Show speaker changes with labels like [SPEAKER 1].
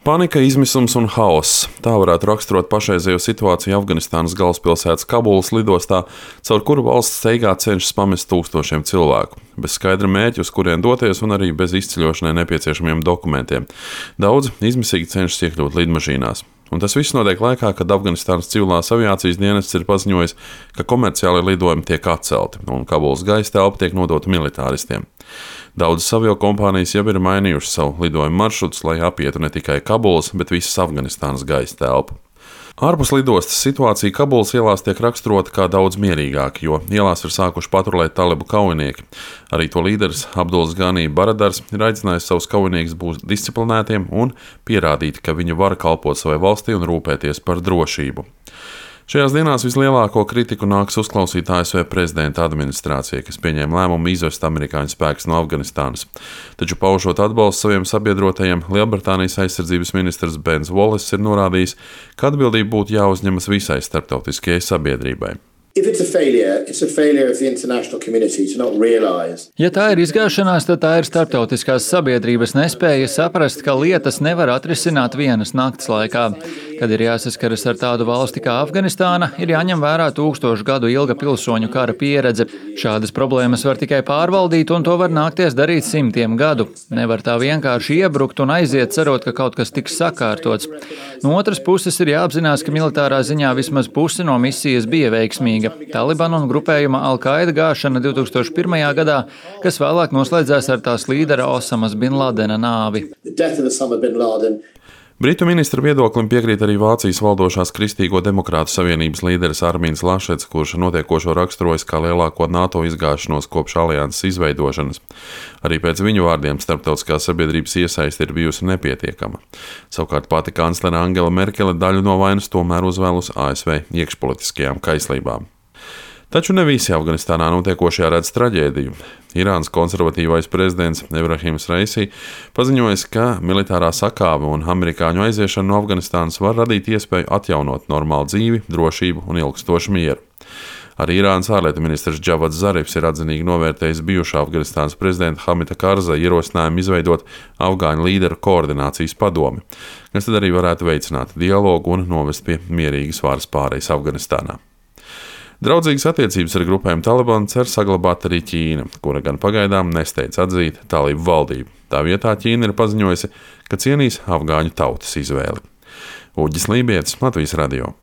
[SPEAKER 1] Panika, izmisums un haoss. Tā varētu raksturot pašreizējo situāciju Afganistānas galvaspilsētas Kabulas lidostā, caur kuru valsts steigā cenšas pamest tūkstošiem cilvēku. Bez skaidra mērķa, uz kurien doties, un arī bez izceļošanai nepieciešamiem dokumentiem. Daudzi izmisīgi cenšas iekļūt lidmašīnās. Un tas viss notiek laikā, kad Afganistānas civilās aviācijas dienests ir paziņojis, ka komerciālie lidojumi tiek atcelti un Kabulas gaisa telpa tiek nodota militāristiem. Daudzas aviokompānijas jau ir mainījušas savu lidojumu maršrutus, lai apietu ne tikai Kabulas, bet visas Afganistānas gaisa telpu. Ārpus lidostas situācija Kabulas ielās tiek raksturota kā daudz mierīgāka, jo ielās ir sākuši patrulēt talibu kaujinieki. Arī to līderis Abduls Gani Baradars ir aicinājis savus kaujiniekus būt disciplinētiem un pierādīt, ka viņi var kalpot savai valstī un rūpēties par drošību. Šajās dienās vislielāko kritiku nāks uzklausīt ASV prezidenta administrācija, kas pieņēma lēmumu izvest amerikāņu spēkus no Afganistānas. Taču paužot atbalstu saviem sabiedrotajiem, Lielbritānijas aizsardzības ministrs Bens Wallace ir norādījis, ka atbildība būtu jāuzņemas visai starptautiskajai sabiedrībai.
[SPEAKER 2] Ja tā ir izgāšanās, tad tā ir starptautiskās sabiedrības nespēja saprast, ka lietas nevar atrisināt vienas nakts laikā. Kad ir jāsaskaras ar tādu valsti kā Afganistāna, ir jāņem vērā 1000 gadu ilga pilsoņu kara pieredze. Šādas problēmas var tikai pārvaldīt, un to var nākties darīt simtiem gadu. Nevar tā vienkārši iebrukt un aiziet, cerot, ka kaut kas tiks sakārtots. No otras puses ir jāapzinās, ka militārā ziņā vismaz pusi no misijas bija veiksmīga. Talibanu un grupējuma Al-Qaida gāšana 2001. gadā, kas vēlāk noslēdzās ar tās līdera Osamas bin Ladena nāvi.
[SPEAKER 1] Britu ministra viedoklim piekrīt arī Vācijas valdošās Kristīgo demokrātu savienības līderis Armīns Lašets, kurš notiekošo raksturojas kā lielāko NATO izgāšanos kopš alianses izveidošanas. Arī pēc viņu vārdiem starptautiskā sabiedrības iesaiste ir bijusi nepietiekama. Savukārt pati kanclere Angela Merkele daļu no vainas tomēr uzvēl uz ASV iekšpolitiskajām kaislībām. Taču ne visi Afganistānā notiekošajā redz traģēdiju. Irānas konservatīvais prezidents Ebrahims Raisi paziņojis, ka militārā sakāve un amerikāņu aiziešana no Afganistānas var radīt iespēju atjaunot normālu dzīvi, drošību un ilgstošu mieru. Arī Irānas ārlietu ministrs Džavads Zarifs ir atzinīgi novērtējis bijušā Afganistānas prezidenta Hamida Karzai ierosinājumu izveidot afgāņu līderu koordinācijas padomi, kas tad arī varētu veicināt dialogu un novest pie mierīgas varas pārejas Afganistānā. Draudzīgas attiecības ar grupēm Talibanu cer saglabāt arī Ķīna, kura gan pagaidām nesteidz atzīt talību valdību. Tā vietā Ķīna ir paziņojusi, ka cienīs afgāņu tautas izvēli. Uģis Lībietis, Latvijas radio.